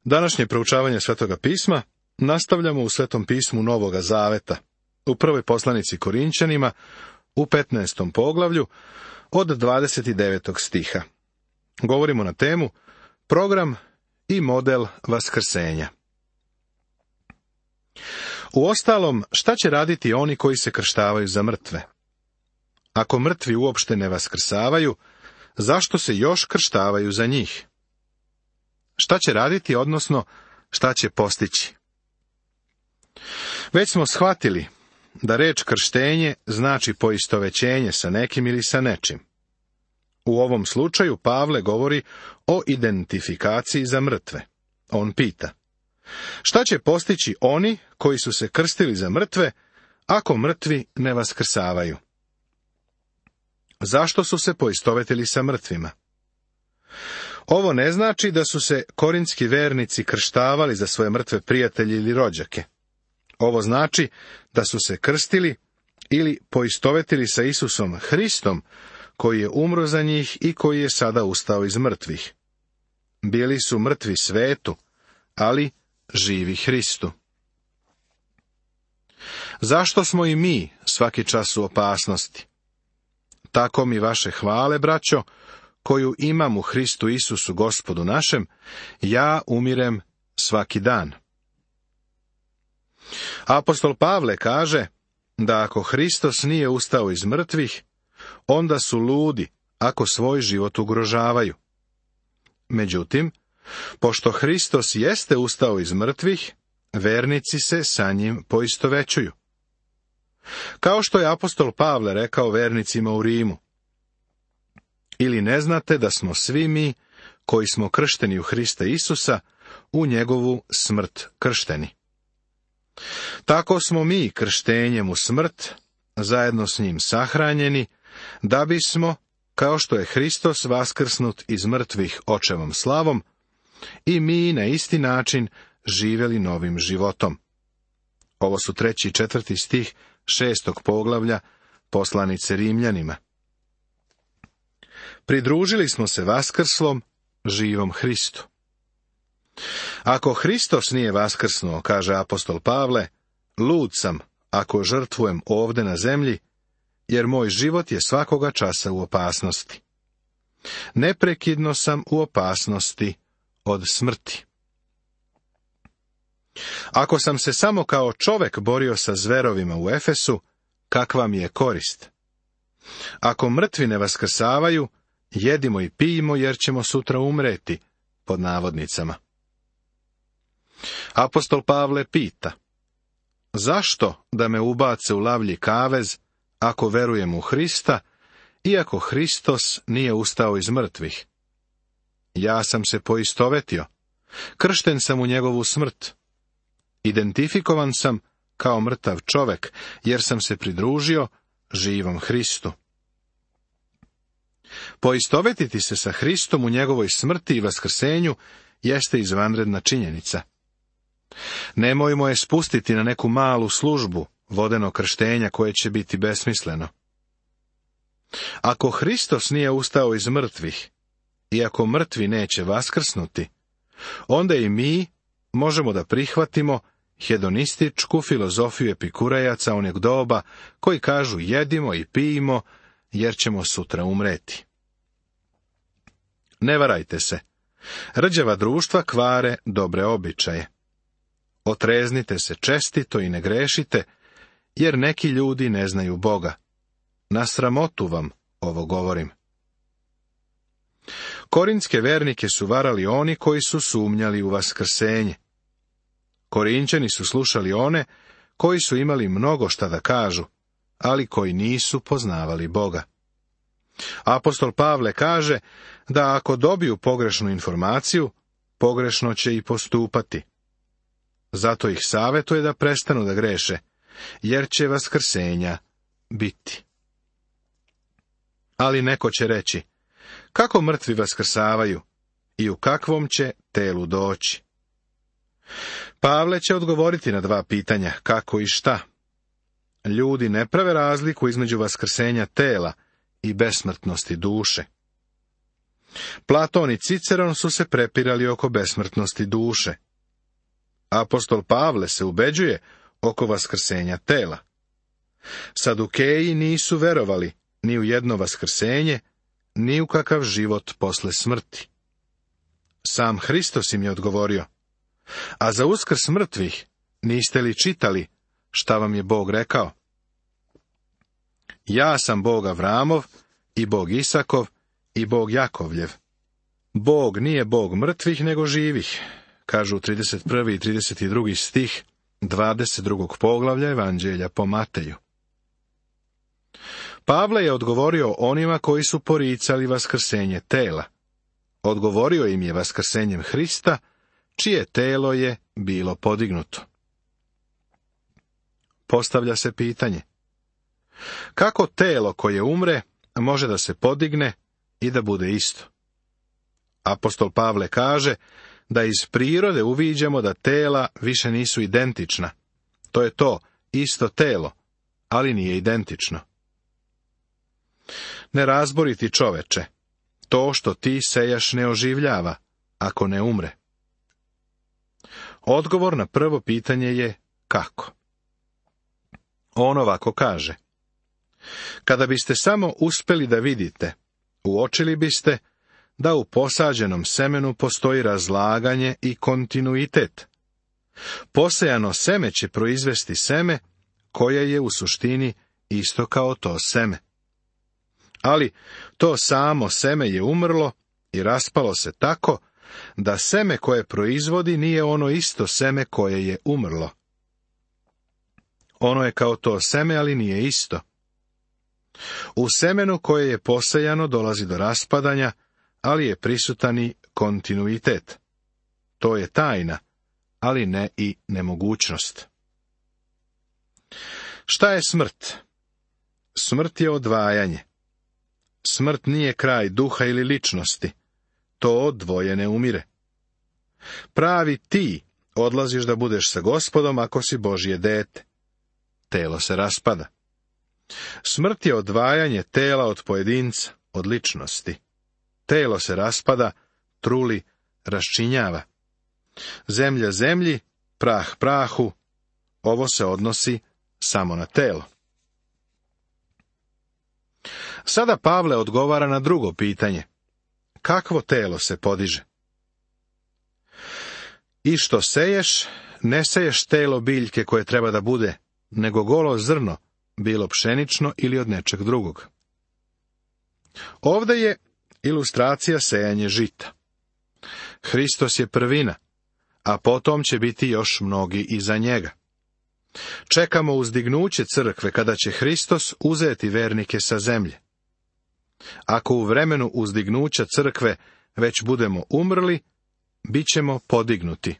Današnje proučavanje Svetoga pisma nastavljamo u Svetom pismu Novoga Zaveta, u prvoj poslanici Korinćanima, u 15. poglavlju, od 29. stiha. Govorimo na temu program i model vaskrsenja. Uostalom, šta će raditi oni koji se krštavaju za mrtve? Ako mrtvi uopšte ne vaskrsavaju, zašto se još krštavaju za njih? Šta će raditi, odnosno šta će postići? Već smo shvatili da reč krštenje znači poistovećenje sa nekim ili sa nečim. U ovom slučaju Pavle govori o identifikaciji za mrtve. On pita: šta će postići oni koji su se krstili za mrtve, ako mrtvi ne vaskrsavaju? Zašto su se poistovetili sa mrtvima? Ovo ne znači da su se korinski vernici krštavali za svoje mrtve prijatelje ili rođake. Ovo znači da su se krstili ili poistovetili sa Isusom Hristom, koji je umro za njih i koji je sada ustao iz mrtvih. Bili su mrtvi svetu, ali živi Hristu. Zašto smo i mi svaki čas u opasnosti? Tako mi vaše hvale, braćo, koju imam u Hristu Isusu Gospodu našem, ja umirem svaki dan. Apostol Pavle kaže da ako Hristos nije ustao iz mrtvih, onda su ludi ako svoj život ugrožavaju. Međutim, pošto Hristos jeste ustao iz mrtvih, vernici se sa njim poistovećuju. Kao što je apostol Pavle rekao vernicima u Rimu: ili ne znate da smo svi mi, koji smo kršteni u Hrista Isusa, u njegovu smrt kršteni. Tako smo mi krštenjem u smrt, zajedno s njim sahranjeni, da bismo, kao što je Hristos vaskrsnut iz mrtvih očevom slavom, i mi na isti način živjeli novim životom. Ovo su 3. i 4. stih 6. poglavlja poslanice Rimljanima. Pridružili smo se vaskrslom, živom Hristu. Ako Hristos nije vaskrsnuo, kaže apostol Pavle, lud sam ako žrtvujem ovde na zemlji, jer moj život je svakoga časa u opasnosti. Neprekidno sam u opasnosti od smrti. Ako sam se samo kao čovek borio sa zverovima u Efesu, kakva mi je korist? Ako mrtvi ne vaskrsavaju, jedimo i pijemo jer ćemo sutra umreti, pod navodnicama. Apostol Pavle pita: zašto da me ubace u lavlji kavez, ako verujem u Hrista, iako Hristos nije ustao iz mrtvih? Ja sam se poistovetio, kršten sam u njegovu smrt. Identifikovan sam kao mrtav čovek, jer sam se pridružio živom Hristu. Poistovetiti se sa Hristom u njegovoj smrti i vaskrsenju jeste izvanredna činjenica. Nemojmo je spustiti na neku malu službu vodenog krštenja koje će biti besmisleno. Ako Hristos nije ustao iz mrtvih, i ako mrtvi neće vaskrsnuti, onda i mi možemo da prihvatimo hedonističku filozofiju epikurejaca onog doba, koji kažu jedimo i pijemo, jer ćemo sutra umreti. Ne varajte se. Rđava društva kvare dobre običaje. Otreznite se čestito i ne grešite, jer neki ljudi ne znaju Boga. Na sramotu vam ovo govorim. Korinske vernike su varali oni koji su sumnjali u vaskrsenje. Korinćani su slušali one koji su imali mnogo šta da kažu, ali koji nisu poznavali Boga. Apostol Pavle kaže da ako dobiju pogrešnu informaciju, pogrešno će i postupati. Zato ih savjetuje da prestanu da greše, jer će vaskrsenja biti. Ali neko će reći: kako mrtvi vaskrsavaju i u kakvom će telu doći? Pavle će odgovoriti na dva pitanja: kako i šta. Ljudi ne prave razliku između vaskrsenja tela i besmrtnosti duše. Platon i Ciceron su se prepirali oko besmrtnosti duše. Apostol Pavle se ubeđuje oko vaskrsenja tela. Sadukeji nisu verovali ni u jedno vaskrsenje, ni u kakav život posle smrti. Sam Hristos im je odgovorio: a za uskrs mrtvih niste li čitali šta vam je Bog rekao? Ja sam Bog Avramov i Bog Isakov i Bog Jakovljev. Bog nije Bog mrtvih nego živih, kažu 31. i 32. stih 22. poglavlja Evanđelja po Mateju. Pavle je odgovorio onima koji su poricali vaskrsenje tela. Odgovorio im je vaskrsenjem Hrista, čije telo je bilo podignuto. Postavlja se pitanje: kako telo koje umre može da se podigne i da bude isto? Apostol Pavle kaže da iz prirode uviđamo da tela više nisu identična. To je to, isto telo, ali nije identično. Nerazboriti čoveče, to što ti sejaš ne oživljava, ako ne umre. Odgovor na prvo pitanje je kako. On ovako kaže: kada biste samo uspeli da vidite, uočili biste da u posađenom semenu postoji razlaganje i kontinuitet. Posejano seme će proizvesti seme, koje je u suštini isto kao to seme. Ali to samo seme je umrlo i raspalo se tako da seme koje proizvodi nije ono isto seme koje je umrlo. Ono je kao to seme, ali nije isto. U semenu koje je posejano dolazi do raspadanja, ali je prisutan i kontinuitet. To je tajna, ali ne i nemogućnost. Šta je smrt? Smrt je odvajanje. Smrt nije kraj duha ili ličnosti. To odvoje ne umire. Pravi ti odlaziš da budeš sa Gospodom ako si Božje dete. Telo se raspada. Smrt je odvajanje tela od pojedinca, od ličnosti. Telo se raspada, truli, raščinjava. Zemlja zemlji, prah prahu, ovo se odnosi samo na telo. Sada Pavle odgovara na drugo pitanje: kakvo telo se podiže? I što seješ, ne seješ telo biljke koje treba da bude, nego golo zrno, bilo pšenično ili od nečeg drugog. Ovde je ilustracija sejanje žita. Hristos je prvina, a potom će biti još mnogi iza njega. Čekamo uzdignuće crkve kada će Hristos uzeti vernike sa zemlje. Ako u vremenu uzdignuća crkve već budemo umrli, bit ćemo podignuti.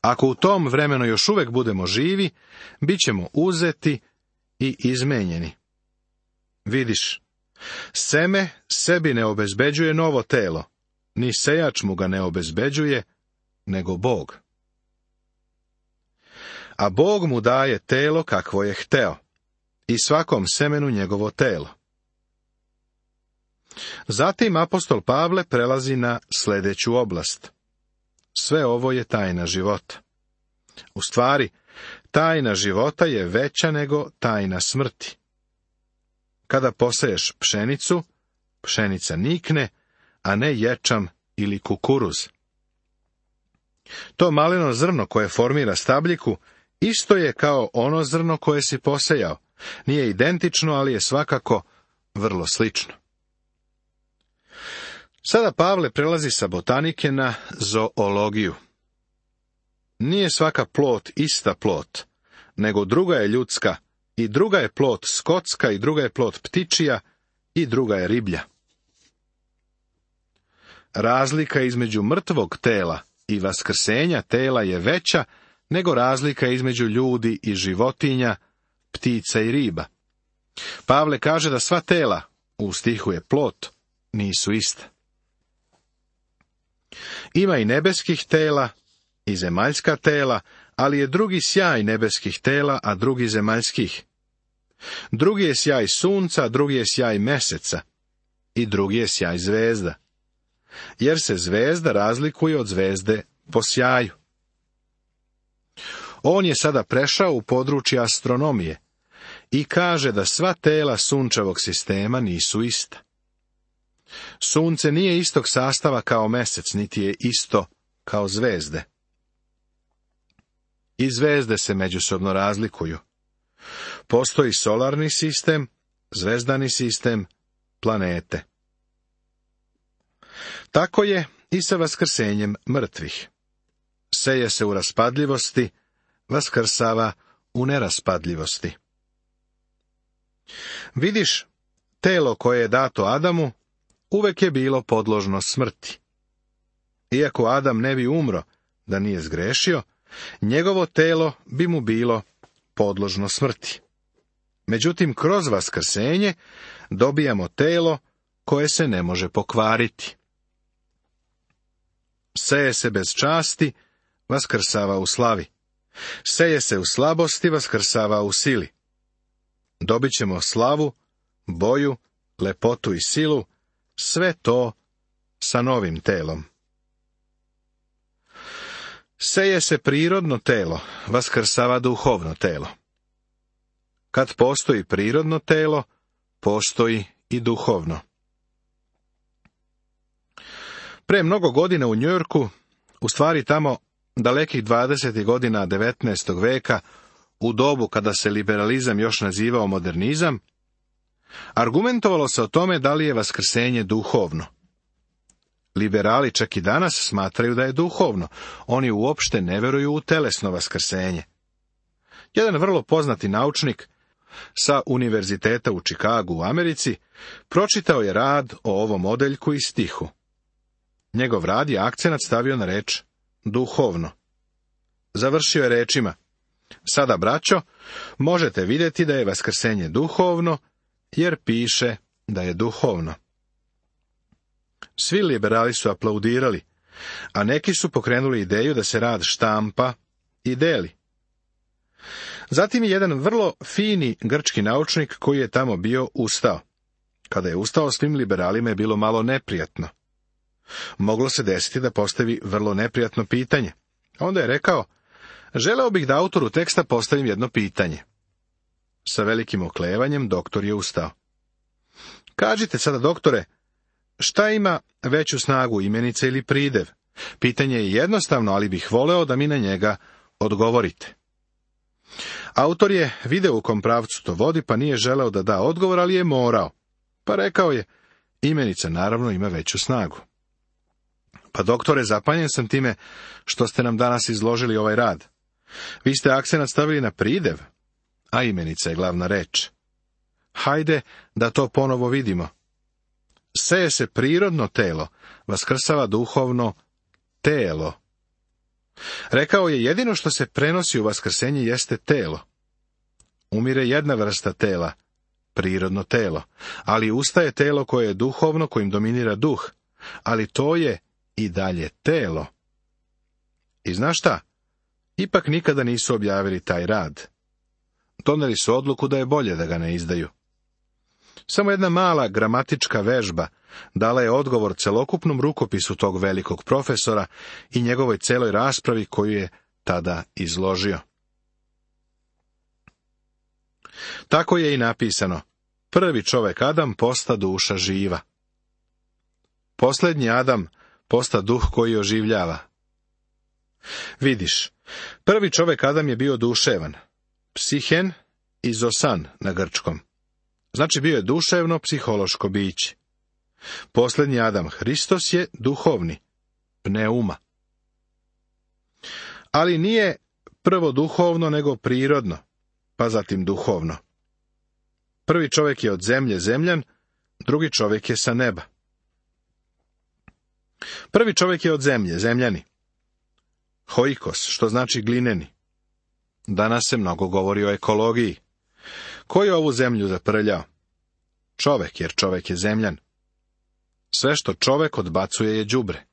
Ako u tom vremenu još uvek budemo živi, bit ćemo uzeti i izmenjeni. Vidiš, seme sebi ne obezbeđuje novo telo, ni sejač mu ga ne obezbeđuje, nego Bog. A Bog mu daje telo kakvo je hteo, i svakom semenu njegovo telo. Zatim apostol Pavle prelazi na sljedeću oblast. Sve ovo je tajna života. U stvari, tajna života je veća nego tajna smrti. Kada poseješ pšenicu, pšenica nikne, a ne ječam ili kukuruz. To maleno zrno koje formira stabljiku isto je kao ono zrno koje si posejao. Nije identično, ali je svakako vrlo slično. Sada Pavle prelazi sa botanike na zoologiju. Nije svaka plot ista plot, nego druga je ljudska, i druga je plot skotska, i druga je plot ptičija, i druga je riblja. Razlika između mrtvog tela i vaskrsenja tela je veća nego razlika između ljudi i životinja, ptica i riba. Pavle kaže da sva tela, u stihu je plot, nisu ista. Ima i nebeskih tela i zemaljska tela, ali je drugi sjaj nebeskih tela, a drugi zemaljskih. Drugi je sjaj sunca, a drugi je sjaj meseca. i drugi je sjaj zvezda, jer se zvezda razlikuje od zvezde po sjaju. On je sada prešao u područje astronomije i kaže da sva tela sunčevog sistema nisu ista. Sunce nije istog sastava kao mesec, niti je isto kao zvezde. I zvezde se međusobno razlikuju. Postoji solarni sistem, zvezdani sistem, planete. Tako je i sa vaskrsenjem mrtvih. Seje se u raspadljivosti, vaskrsava u neraspadljivosti. Vidiš, telo koje je dato Adamu uvek je bilo podložno smrti. Iako Adam ne bi umro da nije zgrešio, njegovo telo bi mu bilo podložno smrti. Međutim, kroz vaskrsenje dobijamo telo koje se ne može pokvariti. Seje se bez časti, vaskrsava u slavi. Seje se u slabosti, vaskrsava u sili. Dobit ćemo slavu, boju, lepotu i silu, sve to sa novim telom. Seje se prirodno telo, vaskrsava duhovno telo. Kad postoji prirodno telo, postoji i duhovno. Pre mnogo godina u Njujorku, u stvari tamo dalekih 20. godina 19. veka, u dobu kada se liberalizam još nazivao modernizam, argumentovalo se o tome da li je vaskrsenje duhovno. Liberali čak i danas smatraju da je duhovno. Oni uopšte ne veruju u telesno vaskrsenje. Jedan vrlo poznati naučnik sa Univerziteta u Čikagu u Americi pročitao je rad o ovom odeljku i stihu. Njegov rad je akcenat stavio na reč duhovno. Završio je rečima: sada, braćo, možete vidjeti da je vaskrsenje duhovno, jer piše da je duhovno. Svi liberali su aplaudirali, a neki su pokrenuli ideju da se rad štampa i deli. Zatim je jedan vrlo fini grčki naučnik koji je tamo bio ustao. Kada je ustao, svim liberalima je bilo malo neprijatno. Moglo se desiti da postavi vrlo neprijatno pitanje. Onda je rekao: želeo bih da autoru teksta postavim jedno pitanje. Sa velikim oklevanjem doktor je ustao. Kažite sada, doktore, šta ima veću snagu, imenica ili pridev? Pitanje je jednostavno, ali bih voleo da mi na njega odgovorite. Autor je video u kom pravcu to vodi, pa nije želeo da da odgovor, ali je morao. Pa rekao je: imenica naravno ima veću snagu. Pa doktore, zapanjen sam time što ste nam danas izložili ovaj rad. Vi ste akcenat stavili na pridev, a imenica je glavna reč. Hajde da to ponovo vidimo. Seje se prirodno telo, vaskrsava duhovno telo. Rekao je: jedino što se prenosi u vaskrsenje jeste telo. Umire jedna vrsta tela, prirodno telo, ali ustaje telo koje je duhovno, kojim dominira duh, ali to je i dalje telo. I znaš šta? Ipak nikada nisu objavili taj rad. Doneli su odluku da je bolje da ga ne izdaju. Samo jedna mala gramatička vežba dala je odgovor celokupnom rukopisu tog velikog profesora i njegovoj celoj raspravi koju je tada izložio. Tako je i napisano: prvi čovek Adam posta duša živa. Posljednji Adam posta duh koji oživljava. Vidiš, prvi čovek Adam je bio duševan, psihen i zosan na grčkom. Znači bio je duševno psihološko biće. Posljednji Adam, Hristos, je duhovni, pneuma. Ali nije prvo duhovno nego prirodno, pa zatim duhovno. Prvi čovjek je od zemlje zemljan, drugi čovjek je sa neba. Prvi čovjek je od zemlje, zemljani. Hoikos, što znači glineni. Danas se mnogo govori o ekologiji. Ko je ovu zemlju zaprljao? Čovek, jer čovek je zemljan. Sve što čovek odbacuje je đubre.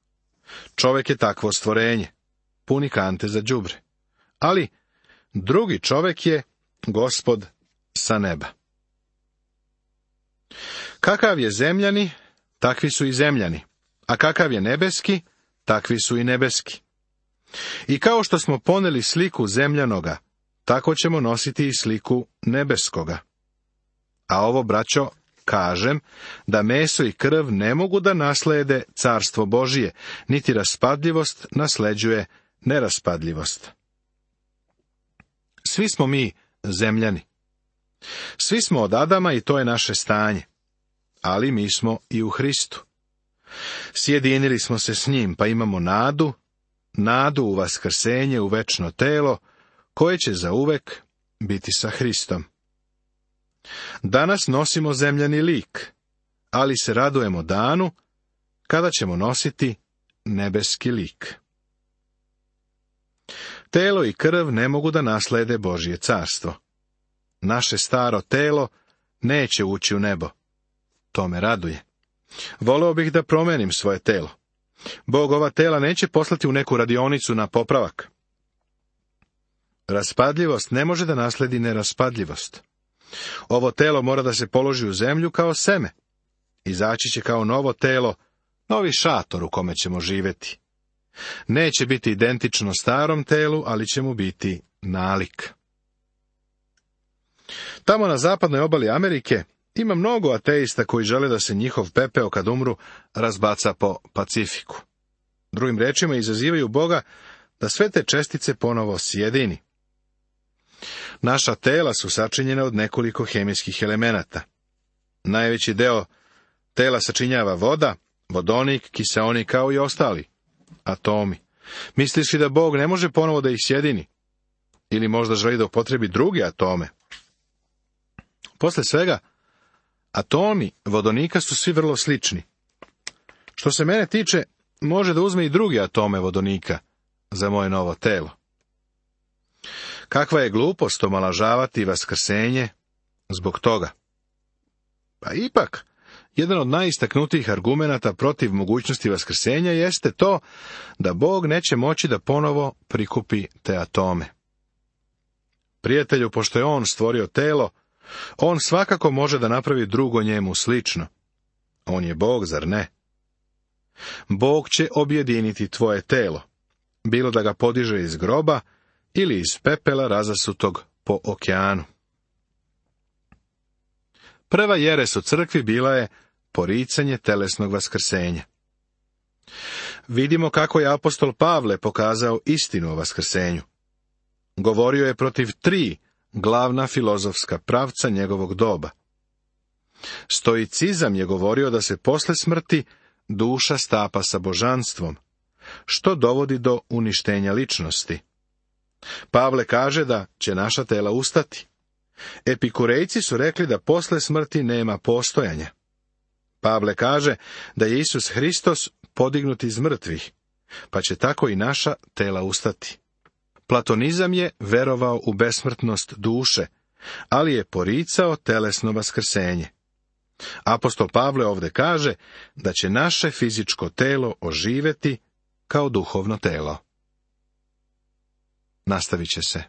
Čovek je takvo stvorenje, puni kante za đubre. Ali drugi čovek je Gospod sa neba. Kakav je zemljani, takvi su i zemljani, a kakav je nebeski, takvi su i nebeski. I kao što smo poneli sliku zemljanoga, tako ćemo nositi i sliku nebeskoga. A ovo, braćo, kažem, da meso i krv ne mogu da naslede carstvo Božije, niti raspadljivost nasleđuje neraspadljivost. Svi smo mi zemljani. Svi smo od Adama i to je naše stanje. Ali mi smo i u Hristu. Sjedinili smo se s njim, pa imamo nadu u vaskrsenje, u večno telo, koje će zauvek biti sa Hristom. Danas nosimo zemljani lik, ali se radujemo danu kada ćemo nositi nebeski lik. Telo i krv ne mogu da naslede Božje carstvo. Naše staro telo neće ući u nebo. To me raduje. Voleo bih da promenim svoje telo. Bog ova tela neće poslati u neku radionicu na popravak. Raspadljivost ne može da nasledi neraspadljivost. Ovo telo mora da se položi u zemlju kao seme. Izaći će kao novo telo, novi šator u kome ćemo živjeti. Neće biti identično starom telu, ali će mu biti nalik. Tamo na zapadnoj obali Amerike ima mnogo ateista koji žele da se njihov pepeo kad umru razbaca po Pacifiku. Drugim rečima, izazivaju Boga da sve te čestice ponovo sjedini. Naša tela su sačinjena od nekoliko hemijskih elemenata. Najveći deo tela sačinjava voda, vodonik, kiseonik kao i ostali atomi. Misliš li da Bog ne može ponovo da ih sjedini? Ili možda želi da upotrebi druge atome? Posle svega, atomi vodonika su svi vrlo slični. Što se mene tiče, može da uzme i druge atome vodonika za moje novo telo. Kakva je glupost omalažavati vaskrsenje zbog toga? Pa ipak, jedan od najistaknutijih argumenata protiv mogućnosti vaskrsenja jeste to da Bog neće moći da ponovo prikupi te atome. Prijatelju, pošto je On stvorio telo, On svakako može da napravi drugo njemu slično. On je Bog, zar ne? Bog će objediniti tvoje telo, bilo da ga podiže iz groba ili iz pepela razasutog po okeanu. Prva jeres u crkvi bila je poricanje telesnog vaskrsenja. Vidimo kako je apostol Pavle pokazao istinu o vaskrsenju. Govorio je protiv 3 glavna filozofska pravca njegovog doba. Stoicizam je govorio da se posle smrti duša stapa sa božanstvom, što dovodi do uništenja ličnosti. Pavle kaže da će naša tela ustati. Epikurejci su rekli da posle smrti nema postojanja. Pavle kaže da je Isus Hristos podignut iz mrtvih, pa će tako i naša tela ustati. Platonizam je verovao u besmrtnost duše, ali je poricao telesno vaskrsenje. Apostol Pavle ovde kaže da će naše fizičko telo oživeti kao duhovno telo. Nastavit će se.